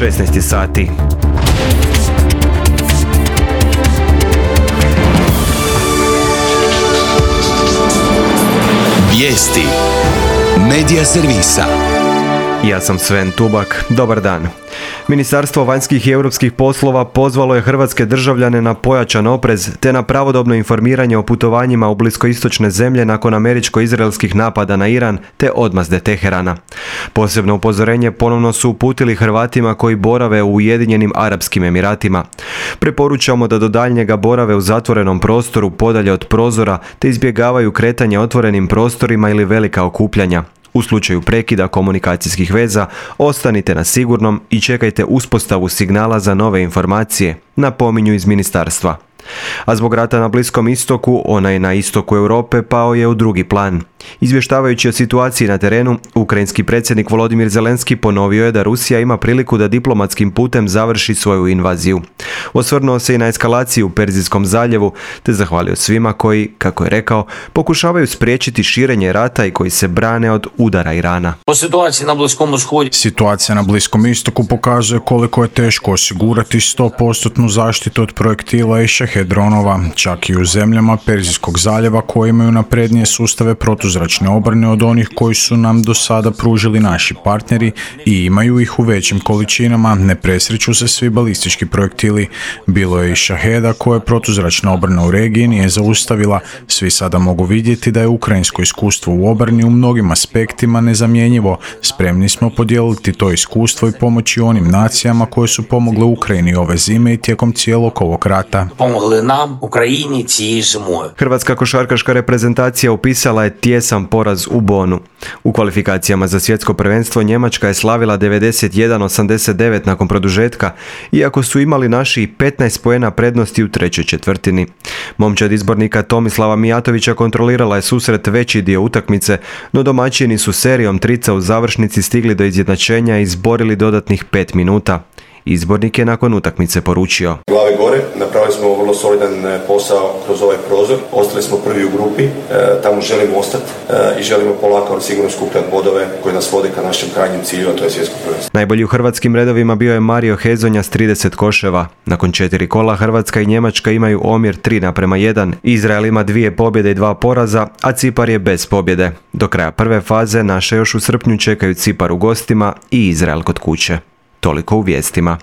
16 sati. Vijesti Medija servisa. Ja sam Sven Tubak. Dobar dan. Ministarstvo vanjskih i europskih poslova pozvalo je hrvatske državljane na pojačan oprez te na pravodobno informiranje o putovanjima u bliskoistočne zemlje nakon američko-izraelskih napada na Iran te odmazde Teherana. Posebno upozorenje ponovno su uputili Hrvatima koji borave u Ujedinjenim Arapskim Emiratima. Preporučamo da do daljnjega borave u zatvorenom prostoru podalje od prozora te izbjegavaju kretanje otvorenim prostorima ili velika okupljanja. U slučaju prekida komunikacijskih veza, ostanite na sigurnom i čekajte uspostavu signala za nove informacije, napominju iz ministarstva. A zbog rata na Bliskom istoku, onaj na istoku Europe pao je u drugi plan. Izvještavajući o situaciji na terenu, ukrajinski predsjednik Volodimir Zelenski ponovio je da Rusija ima priliku da diplomatskim putem završi svoju invaziju. Osvrnuo se i na eskalaciju u Perzijskom zaljevu, te zahvalio svima koji, kako je rekao, pokušavaju spriječiti širenje rata i koji se brane od udara Irana. Situacija na Bliskom istoku pokazuje koliko je teško osigurati 100% zaštitu od projektila i šahed dronova, čak i u zemljama Perzijskog zaljeva koji imaju naprednije sustave protuzračne obrane od onih koji su nam do sada pružili naši partneri i imaju ih u većim količinama, ne presreću se svi balistički projektili. Bilo je i šaheda koje protuzračna obrana u regiji nije zaustavila. Svi sada mogu vidjeti da je ukrajinsko iskustvo u obrani u mnogim aspektima nezamjenjivo. Spremni smo podijeliti to iskustvo i pomoći onim nacijama koje su pomogle Ukrajini ove zime i tijekom cijelog ovog rata. Pomogli nam, Ukrajini, cijeloj zimoj. Hrvatska košarkaška reprezentacija upisala je tjesan poraz u Bonu. U kvalifikacijama za svjetsko prvenstvo Njemačka je slavila 91-89 nakon produžetka, iako su imali naši 15 poena prednosti u trećoj četvrtini. Momčad izbornika Tomislava Mijatovića kontrolirala je susret veći dio utakmice, no domaćini su serijom trica u završnici stigli do izjednačenja i izborili dodatnih 5 minuta. Izbornik je nakon utakmice poručio: Glave gore, napravili smo vrlo solidan posao kroz ovaj prozor, ostali smo prvi u grupi, tamo želimo ostati i želimo polako ali sigurno skupljati bodove koji nas vode ka našem krajnjem cilju, a to je svjetsko prvenstvo. Najbolji u hrvatskim redovima bio je Mario Hezonja s 30 koševa. Nakon 4 kola Hrvatska i Njemačka imaju omjer 3:1, Izrael ima 2 pobjede i 2 poraza, a Cipar je bez pobjede. Do kraja prve faze naše još u srpnju čekaju Cipar u gostima i Izrael kod kuće. Toliko u vijestima.